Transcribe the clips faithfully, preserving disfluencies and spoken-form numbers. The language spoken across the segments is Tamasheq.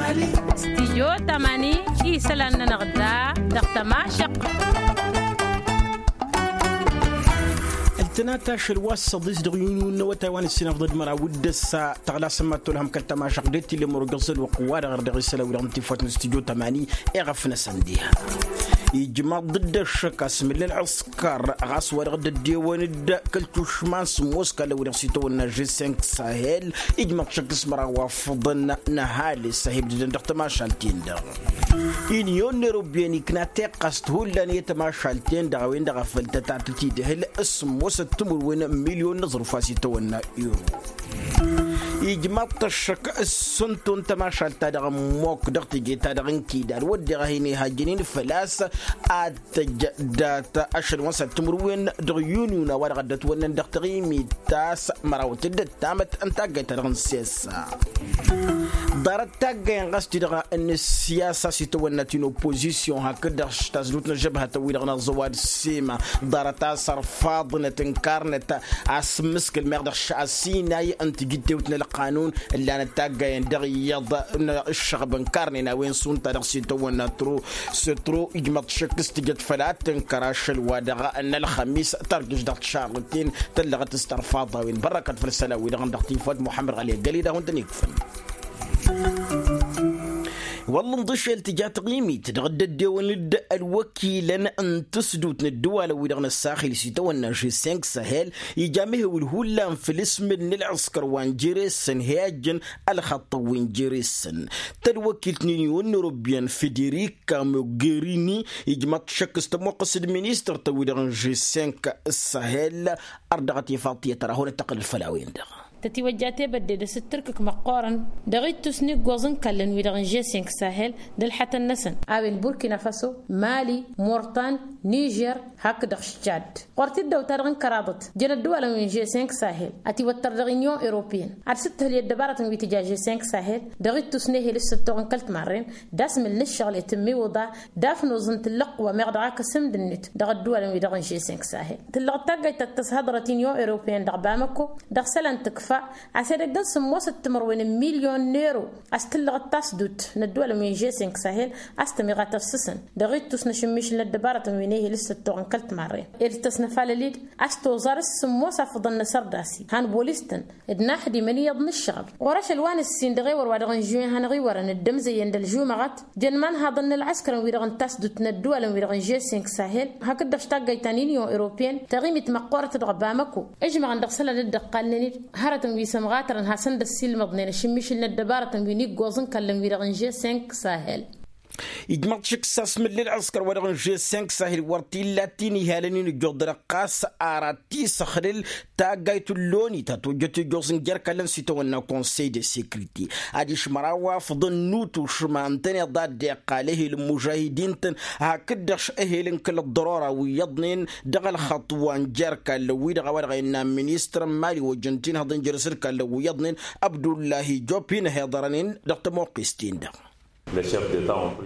Stijyo tamani isălan-nănăɣ da dăɣ-tămašăq. Ăltănat ašăl wa s-săḍis dăɣ-yunun n-awătay wa n-ǝssin afḍăd măraw d-ăssa tăɣlasăn mad-tolhăm kăl-tămašăq d-e t-illa ămăru găẓăl wăqq wa-dăɣ ărdăɣ isălan wi-dăɣ n-tifwat n-stijyo tamani. Iɣăf-năsăn diha ijmaḍ dd-ăššăk asmǝl n-ălɣǝskăr ɣas wa dăɣ-dd-ăddewăn-dd kăl-tušma n-sǝmmos kallăn wi-dăɣ s-itawănna g cinq sahel. Ijmaḍ šăkk s-măraw wa făḍăn n-ăhalǝs a hi-ǝbdădăn dăɣ-tămašalt-in-dăɣ. Inyon n-erobiyen ikna tiqqast hullan i-tămašalt-en-dăɣ a-wen-dăɣ a făl tătatăt idhǝl s-sǝmmosăt timǝrwen n-milyon n-aẓrǝf wa s-itawănna euro. Ijmaḍ-t ăššăk s-sǝntu n-tămašalt-ta-dăɣ n-mok dăɣ-teje-ta-dăɣ n-kidal wădden a hin-ihajjănen făl-a-s ad-tăjj dat-ašăl wa n-săr timǝrwen dăɣ-yunun a-wa-dăɣ dd-ătwănnăn dăɣ-taɣimit ta s-mărawăt d-ăttamăt n-taggayt-ta-dăɣ n-sessa. Ḍarăt taggayăn ɣas ti-dăɣ n-ǝssiyasa s-itawănna ti n-oppozisyon hakd-dăɣ s-tasdut n-ăžžăbhătăn-wi-dăɣ n-aẓăwad s-sima ḍarăt a-s ărfaḍnăt ǝnkarnăt asǝmmǝskǝl meɣ dăɣ-asinay n-tijǝttewt n-ălqanun ǝllanăt taggayăn dăɣ-iyyăḍ n-ǝššăɣb ǝnkarnen a-wen s-unta dăɣ-s itawănna tru s-tru ijmăḍ šăkk s-tijăt făll-ad-tǝnkăr ašăl wa dăɣ-n-ălxămis tărjǝš dăɣ-tišarrǝten tăllăɣăt s-tărfaḍ a-wen bărrăkăt făll-isălan-wi-dăɣ n-dăɣ-tifăt muḥămmăd ɣali ăggăled a hawăn-tăn-ikfăn. Wălla ǝnḍǝšel tǝja taɣimit dăɣ-dd-ăddewăn-dd ălwăkilăn n-tǝsdut n-ăddǝwalăn-wi-dăɣ n-ăssaxil s-itawănna g cinq sahel ija mehewǝl hullan făll-asmǝl n-ălɣǝskăr wa n-jere-săn hi-ajjăn ălxăṭṭăn wi n-jere-săn. Tălwăkilt n-inyon n-erobiyan federika mogherini ijmăḍ šăkk s-tămoqqăs d-ministăr-tăn-wi-dăɣ n-g cinq sahel. Ărdăɣăt ifaḍ tiyyăt ărahun ăttăqqǝlăl făll-a-wen-dăɣ. Tătiwăjja tebădde d-asǝttǝrkǝk măqqoorăn dăɣ-ittus n-iggoẓ n-kallăn wi-dăɣ n-g cinq sahel d-ălḥătăn-năsăn a-wen burkina faso, mali, mortan, nižer, hakd-dăɣ ščad. Ɣur-tiddawt-ta-dăɣ n-kăraḍăt jăn ăddǝwalăn wi n-g cinq sahel ătiwăttăr dăɣ-inyon eropeyăn ad-sǝttǝhǝl i-ăddăbarătăn wi tǝja g cinq sahel dăɣ-ittus n-ehel s-săttoɣăn kăl-timarren d-asmǝl n-ǝššăɣǝl i-tǝmmiwǝḍa d-afnoẓ n-tǝllăqq wa meɣ dăɣ-ak asǝmd-net dăɣ-ăddǝwalăn wi-dăɣ n-g cinq sahel. Tǝllăɣ d-taggayt ta t-tăshăḍrăt inyon eropeyăn dăɣ-bamăko dăɣ-isălan tǝkfa a-s edăgg n-sǝmmosăt timărwen n-milyon n-ero a-s tǝllăɣăt tasdut n-ăddăwalăn wi n-g cinq sahel a-s tămiɣa tăssǝsăn dăɣ-ittus n-ašǝmmišǝl n-ăddăbarătăn wi n-ehel s-săttoɣăn kăl-timarren ed tăsnăfalăl-dd a-s toẓar s-sǝmmos afǝḍăn n-asărdasi han bolistăn d-inaxdimăn iyyăḍ n-ǝššăɣăb. Ɣur-ašăl wa n-ǝssin dăɣ-ewăr wa dăɣ-n žuwen hanăɣ-iwărăn dd-ămzăyyăn d-ălžumăɣăt jăn imanhaḍăn n-ălɣǝskărăn wi-dăɣ n-tasdut n-ăddǝwalăn wi-dăɣ n-g cinq sahel hakd-dăɣ s-taggayt ta n-inyon eropeyăn taɣimit măqqoorăt dăɣ-bamăko ǝžmăɣăn dăɣ-isălan dd-ăqqalnen-dd hărătăn wi s-ămɣatărăn hasăn-dd-ăssiilmăḍnen ašǝmmišǝl n-ăddăbarătăn wi n-iggoẓ n-kallăn wi-dăɣ n-g cinq sahel. Ijmăḍ šik s-asmǝl n-ălɣǝskăr wa dăɣ-n g cinq sahel wăr t-illa t-inihalăn-in ǝjjuḍ-dăɣ ɣas ara t-isăxlǝl taggayt n-loni ta tojjăt ijjuẓ n-jer-kallăn s-itawănna konsey de sekriti adiš măraw wa făḍăn n-utušma ǝntăneḍ a dd-iqqal ehel n-mužahidin-tăn hakd-dăɣ ehel n-kăl-ăḍḍărora wi iyyăḍnen dăɣ-ălxăṭṭ wa n-jer-kallăn wi-dăɣ a-wa dăɣ-innă ministăr n-mali ojăn tinhăḍ n-jer-s d-kallăn wi iyyăḍnen abdullahi job hin-ăhiḍărănen dăɣ-tămoqqist-in-dăɣ.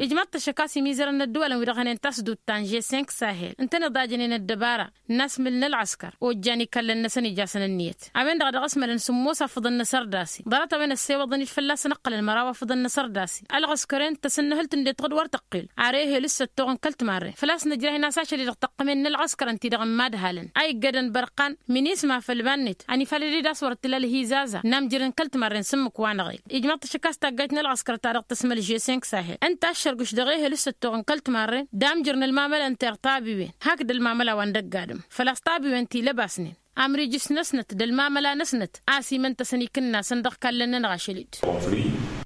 Ijmăḍ-t ăššăk a-s imizărăn n-ăddăwalăn wi-dăɣ hănen tasdut ta n-g cinq sahel ǝntăneḍ a jănen ăddăbara n-asmǝl n-ălɣăskăr ojjan ikallăn-năsăn ijasăn ǝnniyăt a-wen-dăɣ a dăɣ-ăsmălăn sǝmmos afǝḍăn n-asărdasi ḍarăt a-wen ăssewăḍăn-dd fălla-săn ǝqqălăn măraw afǝḍăn n-asărdasi ălɣăskăr-en tăsǝnnăhǝlt ǝndǝt ɣǝd wăr tăqqel ar ehel s-săttoɣ n-kăl-timarren făl-a-s nǝjrah-in a-s ašăl-i-dăɣ tăqqămen n-ălɣăskărăn-ti-dăɣ n-imadhalăn a iggădăn bărqan minisma făll-iman-net ănifalăd-dd a-s wăr t-tǝla ălhizaza n-amjăr n-kăl-timarren s-ǝmmǝk wa n-aɣel. Ijmăḍ-t ăššăk a-s taggayt n-ălɣăskăr ta dăɣ-tăsmăl g cinq sahel ǝnta a ăššărgǝš dăɣ-ehel s-săttoɣ n-kăl-timarren d-amjăr n-ălmamăla n-tertabiwen hakd ălmamăla wa n-dăgg-adǝm făl-a-s tabiwen ti lăbasnen amrijǝs-năsnăt d-ălmamăla-năsnăt a ăsimăn-tăsăn ikǝnnasăn dăɣ-kallăn-nănăɣ ašăl-dd.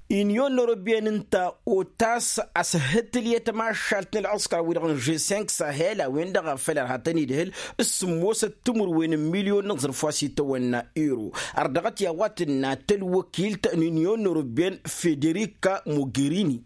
Inyon n-erobiyen ǝnta otas a-s hǝtǝl i-tămašalt n-ălɣăskăr-wi-dăɣ n-g cinq sahel a-wen-dăɣ a făl ărhatăn-idhǝl s-sǝmmosăt timǝrwen n-milyon n-aẓrǝf wa s-itawănna ero. Ărdăɣăt i-a-wa tǝnna tălwăkilt n-inyon n-erobiyen federika mogerini.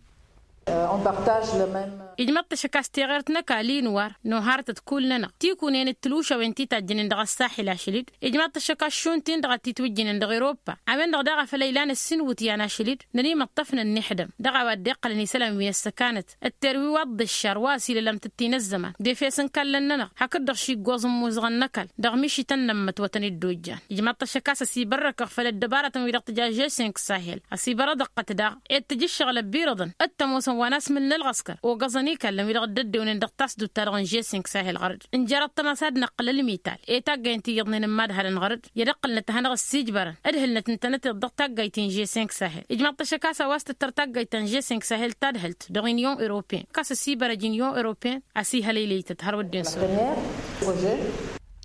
Ijmaḍ-t ăššăk a-s teɣert n-ăkall inwar n-oharăt d-kull-nănăɣ tikunen d-tǝlwǝšawen ti tajjănen dăɣ-ăssaḥil ašăl-dd. Ijmaḍ-t ăššăk a-s šund-tin-dăɣ a t-itwǝjjǝnen dăɣ-europa a-wen-dăɣ daɣ a făl a ilan ǝssin iwǝtyan ašăl-dd. Nănimăṭṭăfnăn n-ixdăm dăɣ-a-wa dd-iqqălăn isălan wi n-ăssăkanăt d-terwi wa dd-ǝššar wa ăsiilălam tǝttin ăzzăman d-efes n-ikallăn-nănăɣ. Hakd-dăɣ šiggoẓ n-imuzăɣăn n-ăkall dăɣ-mišităn n-ămmăt wa tăn-dd-ojjan. Ijmaḍ-t ăššăk a-s ăsibărrăkăɣ făll-ăddăbarătăn-wi-dăɣ tǝja žesink sahel ăsibărăḍăɣ-tăt daɣ ed tǝja ǝššăɣǝl ăbirăḍăn d-tămoosăn wa n-asmǝl n-ălɣăskăr ogăẓăn ikallăn wi-dăɣ dd-ăddewnen dăɣ-tasdut-ta-dăɣ n-žesink sahel ɣăr-dd. Ǝnjărăt-tăn a-s ad-năqqǝl ălmital i-taggayăn ti iyyăḍnen n-imadhalăn ɣăr-dd i-ad-ǝqqǝlnăt ad-hanăɣ-ăssiijbărăn ǝdhǝlnăt ǝntănăteḍ dăɣ-taggayt n-žesink sahel. Ijmaḍ-t ăššăk a-s a-wa s-tǝttăr taggayt ta n-žesink sahel tadhǝlt dăɣ-inyon europin kas ăsibărăj inyon europin. A-s ihălăylăy-tăt hărwădden s-ăwwăl.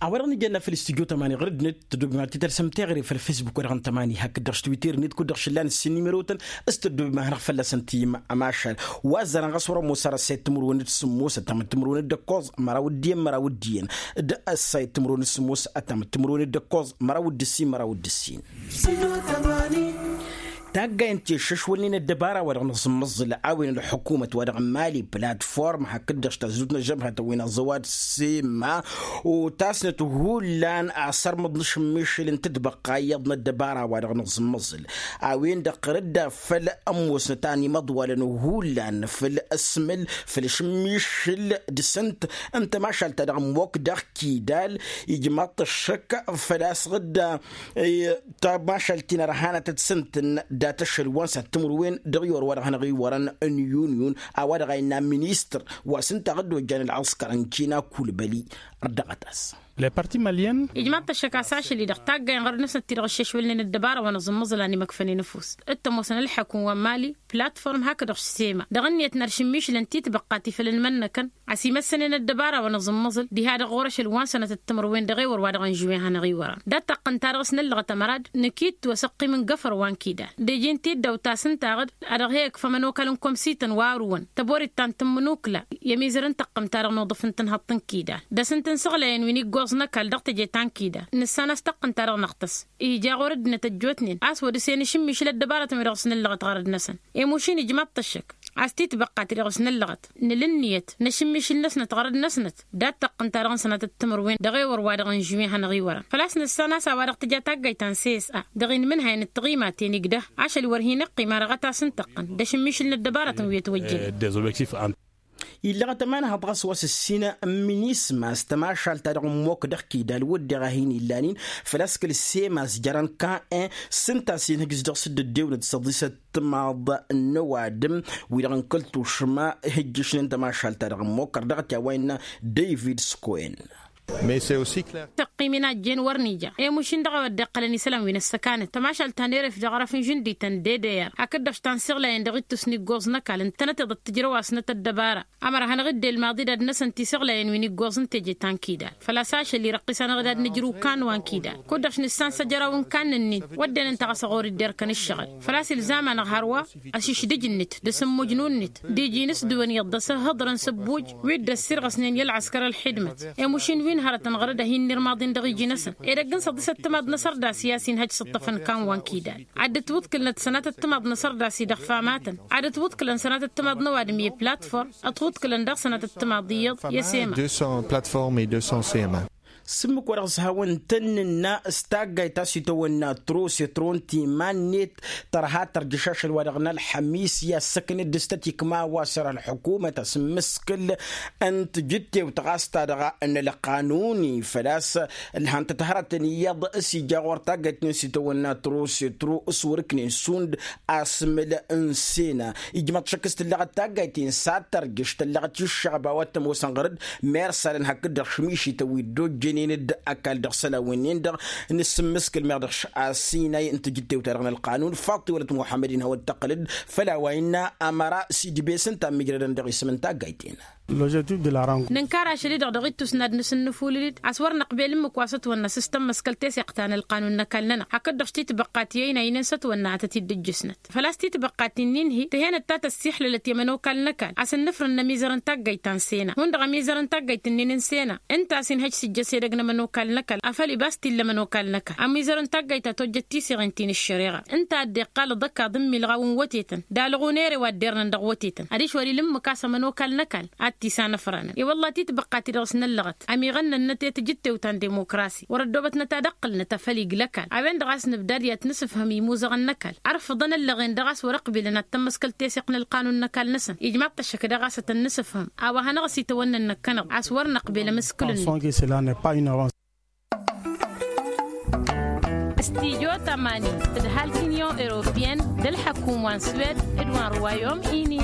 A-wa-dăɣ nǝjănna făll-studyo tămani ɣur-dd-net tăddoobem ad-t-tălsăm teɣăre făll-facebook-wa-dăɣ n-tămani hakd-dăɣ s-twitter-net kud-dăɣ šǝllan ǝssin n-imărotăn s-tăddoobem ad-hanăɣ-fălla-săn tiyyǝm. Amašal wa ăzzarăn ɣas wăr-ămoos ar ăssayăt timǝrwen d-sǝmmos ăttam d-timǝrwen d-ǝkkoẓ măraw d-iyyăn măraw d-iyyăn d-ăssayăt timǝrwen d-sǝmmos ăttam d-timǝrwen d-ǝkkoẓ măraw d-ǝssin măraw d-ǝssin. Taggay n-teššăšwălnen ăddăbara wa dăɣ-nǝẓǝmmăẓǝl a-wen ălḥukumăt wa dăɣ-n mali platform hakd-dăɣ s-tăzzut n-ăžžăbhătăn wi n-aẓăwad sema. Otasnăt hullan asărmăḍ n-ašǝmmišǝl n-tǝtbăqqa iyyăḍ n-ăddăbara wa dăɣ-nǝẓǝmmăẓǝl a-wen-dăɣ ɣur-dd a făl ămoosnăt a n-imăḍwalăn hullan făll-ăsmǝl făll-ašǝmmišǝl dăɣ-săn. Ǝnta mašal ta dăɣ-ămmok dăɣ-kidal ijmaḍ-t ăššăk făl-a-s ɣǝdda tamašalt-in ărhanăt d-săn-tăn dat-ašăl wa n-săt timǝrwen dăɣ-iwăr wa dăɣ-hanăɣ-iwărăn n-yun-yun a-wa dăɣ-a innă ministăr wa s-ǝnta a dd-ojjan ălɣăskăr n-kina kulbăli. Ărdăɣăt-as. Ijmaḍ-t ăššăk a-s ašăl-i-dăɣ taggay n-ɣărăd-năsnăt ti-dăɣ ǝššešwălnen ăddăbara wa n-aẓǝmmăẓǝl a n-imăkfănen ăfuss d-tămoosăn ălḥăkum wa n-mali platform hakd-dăɣ s-sema dăɣ-ǝnniyăt n-aršǝmmišǝlăn titbăqqa ti făll-ănmănnăkăn a-s imăssănen ăddăbara wa n-aẓǝmmăẓǝl diha-dăɣ ɣur-ašăl wa n-sănătăt timǝrwen dăɣ-ewăr wa dăɣ-nǝžwen hanăɣ-iwărăn. Dat-taqqǝnt-ta-dăɣ s-năllăɣăt ămărad nǝkittu asăqqim n-găfăr wa n-kidal d-iji n-tiddawt ta s-ǝntaɣ-dd a dăɣ-he-ǝkfăm ănokal n-komsităn wa ărwăn tăborit ta n-tǝmmǝnukla i-ămizăr n-taqqǝmt-ta-dăɣ n-uḍǝf n-tǝnhăḍt n-kidal d-asǝnt n-isăɣlayăn wi n-iggoẓ n-ăkall dăɣ-teje ta n-kidal. Nǝssan a-s taqqǝnt-ta-dăɣ năɣtăs ija ɣur-dd-năt ăjjootnen a-s wăr dăr-sen ašǝmmišǝl ăddăbarătăn-wi-dăɣ s-nǝllăɣăt ɣărăd-năsăn. Emušin ijmaḍ-t ăššăk a-s titbăqqa ti-dăɣ s-nǝllăɣăt nǝla ǝnniyăt n-ašǝmmišǝl-năsnăt ɣărăd-năsnăt. Dat-taqqǝnt-ta-dăɣ n-sănatăt timǝrwen dăɣ-ewăr wa dăɣ-nǝžwen hanăɣ-iwărăn făl-a-s nǝssan a-s a-wa dăɣ-tǝja taggayt ta n-sesa dăɣ-inmǝnhayăn d-tiɣimaten igdăh ašăl wăr hin-iqqim arăɣăt a-s n-tăqqǝn d-ašǝmmišǝl n-ăddăbarătăn wi ătwăjjănen. Illăɣăt ămanhăḍ ɣas wa s-ǝssin n-minisma s-tamašalt-ta-dăɣ n-mok dăɣ-kidal wădden a hin-illanin făl-a-s kăl-sema s-jărăn kan-en s-ǝnta a-s inhǝj s-dăɣ-s dd-ăddewnăt s-ăḍisăt timaḍ n-ăwadǝm wi-dăɣ n-kăl-tušma ihǝjjǝšnen tamašalt-ta-dăɣ n-mok ărdăɣăt i-a-wa innă david skoen. Tăqqim-in a ăjjeen wăr n-ija i-mušin dăɣ-a-wa dd-iqqălăn isălan wi n-ăssăkanăt tamašalt ta n-eref dăɣ-arăf n-žǝndităn d-edeyăr hakd-dăɣ s-ta n-siɣlayăn dăɣ-ittus n-iggoẓ n-ăkall ǝntănăteḍ d-tǝjrăw-asnăt ăddăbara. Ămăra hanăɣ-dd-elmaḍ-dd ad-năsăn tisăɣlayăn wi n-iggoẓ n-teje ta n-kidal făl-a-s ašăl irăqqis-anăɣ-dd ad-nǝjrǝw kan wa n-kidal kud-dăɣ s-nǝssan s-ajăraw n-kan-nin wădden ǝnta ɣas ăɣori dd-erkăn ǝššăɣǝl. Făl-a-s ilzam-anăɣ hărwa ăšišdǝj-net d-asǝmmujnu-net d-iji n-asdǝwăn iyyăḍ d-asǝhhǝḍrăn s-ăbbuj wi dd-ăssirɣăsnen i-ălɣăskăr ălxidmăt. Emušin wi n-hărătăn ɣărăd a hin-nirmaḍin dăɣ-iji-năsăn edăgg n-săḍisăt timaḍ n-asărdas i-a-s inhăj s-ǝṭṭăfăn kan wa n-kidal. Ad-dd-ătwǝḍkǝlnăt sănatăt timaḍ n-asărdas-i dăɣ-famatăn ad-dd-ătwǝḍkǝlăn sănatăt timaḍ n-ăwadǝm i-platform ătwǝḍkǝlăn daɣ sănatăt timaḍ iyyăḍ i-asema. Platform i-dusăn sema. S-ǝmmǝk wa dăɣ-s hawăn-tăn-nǝnna s-taggayt ta s-itawănna tro s-itro n-timan-net tărha tărjǝš ašăl wa dăɣ-nălxămis i-assăkned s-tătikma wa s-ăra ălḥukumăt asǝmmǝskǝl n-tijǝttewt ɣas ta dăɣ-nălqanuni făl-a-s ǝlhăn-tăt hărătăn iyyăḍ s-ija ɣur-taggayt-nin s-itawănna tro s-itro s-wăr-ǝknen šund asmǝl n-sena. Ijmăḍ šăkk s-tǝllăɣăt taggayt-in s-ad-tărjǝš tǝllăɣăt iššăɣba wa t-ămoosăn ɣăr-dd mersalăn hakd-dăɣ šmišităn wi dd-ojjănen d-ăkall dăɣ-isălan wi-nin-dăɣ. Nǝsǝmmǝskǝl meɣ dăɣ-asinay n-tijǝttewt-ta-dăɣ n-ălqanun faḍt iwălăt muḥămmăd-in hawăl-tăqqǝlăd făll-a-wa innă ămăra s-idbes ǝnta a ămmijrădăn dăɣ-isǝm n-taggayt-in. Nǝnkar ašăl-i-dăɣ dăɣ-ittus n-ad-nǝsǝnnǝfulǝl-dd a-s wăr năqbel ǝmmǝk wa s-ătwănna s-tămmăskăl teseɣt ta n-ălqanun n-ăkall-nănăɣ hakd-dăɣ s-titbăqqat i-ăynaynen s-ătwănna ad-tăt-dd-ǝjjǝsnăt. Făl-a-s titbăqqat-in-in-hi tǝhenăt ta tăssixlălăt i-ămănokal n-ăkall a-s ǝnnǝfrǝn n-ămizăr n-taggayt ta n-sena hundăɣ ămizăr n-taggayt-nin n-sena ǝnta a-s inhăj s-ijjăsen. ăttăgg n-ămănokal n-ăkall afăl ibas t-illa ămănokal n-ăkall ămizărăn taggayt ta tojjăt tiseɣen ti n-ǝššăreɣa. Ǝnta a dd-iqqal ǝḍăkkaḍ n-imilɣaw n-wătetăn d-alăɣ unere wa dd-irnăn dăɣ-wătetăn adiš wăr-ila ǝmmǝk a-s ămănokal n-ăkall ad-t-isanăfranăn i-wălla titbăqqa-ti-dăɣ s-năllăɣăt. Ămiɣănnănnăt i-tǝjǝttewt ta n-dimokrasi wăr-ăddoobătnăt ad-ǝqqǝlnăt afăl iglăkal a-wen-dăɣ a-s nǝbdad i-ad-t-nǝsǝfhǝm i-imuzăɣăn n-ăkall ărfǝḍăn ăllăɣen-dăɣ a-s wăr-ăqbilăn ad-tămmăskăl teseɣt n-ălqanun n-ăkall-năsăn. Ijmaḍ-t ăššăk daɣ a-s ad-tăn-nǝsǝfhǝm a-wa hanăɣ-s itawănnăn năkkănăɣ a-s wăr năqbel ămǝskǝl-net. Stijo tămani d-ǝhal t-inyon europeyăn d-ălḥăkum wa n-swed d-wa n-ruwayom ini.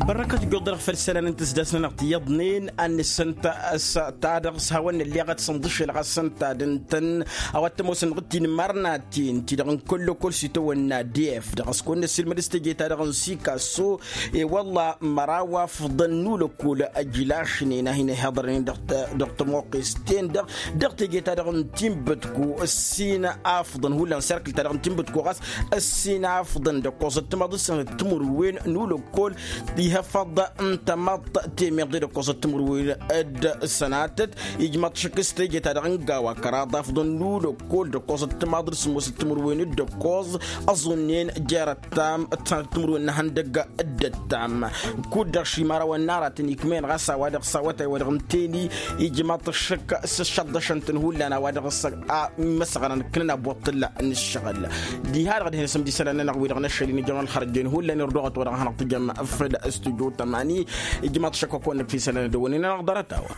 Bărrăkăt guyăḍ dăɣ-făll-isălan n-tǝsdas-nănăɣ ti iyyăḍnen ad-nǝssǝnt s-ta-dăɣ s-hawăn-nălleɣăt s-ǝnḍǝšel ɣas ǝnta d-ǝntăn a-wa t-ămoosăn dăɣ-tinmărnaten ti-dăɣ n-kăl-lăkkol s-itawănna d-f dăɣ-s kăwăn-năssiilmăd s-teje-ta-dăɣ n-sikasso. I-wălla măraw afḍăn n-ulăkkol ăjlašnen a hin-ăhiḍărnen dăɣ-tămoqqes-ten-dăɣ dăɣ-teje-ta-dăɣ n-tinbǝtku ǝssin afḍăn hullan serkǝl-ta-dăɣ n-tinbǝtku ɣas ǝssin afḍăn d-ăkkoẓăt timaḍ d-sănăt timǝrwen n-ulăkkol ihăfăḍ n-tămaḍt temeḍe d-ăkkoẓăt timǝrwen d-sănatăt. Ijmăḍ šik s-teje-ta-dăɣ n-gawa kăraḍ afḍăn n-ulăkkol d-ăkkoẓăt timaḍ d-sǝmmosăt timǝrwen d-ăkkoẓ ăẓunnen jer-ăttam d-sănatăt timǝrwen n-ehăndăg d-ăttam. Kud-dăɣ šimărawăn n-aratăn ikmen ɣas a-wa-dăɣ s-awătay wa-dăɣ n-teni ijmăḍ šik s-ǝššăḍḍăšăn-tăn hullan a-wa-dăɣ s-a imăsɣănăn ǝknăn abuṭṭǝlla n-ǝššăɣǝl. Diha-dăɣ dihen-asǝm d-isălan-nănăɣ wi-dăɣ n-ašăl-in ijămăn ălxărăjjen hullan irduɣăt wa dăɣ-hanăɣ-tǝjăm făll-stujo tămani. Ijmăḍ šăkk wa kăwăn-năkf isălan d-ăwwănen-anăɣ ḍarăt-a-wa.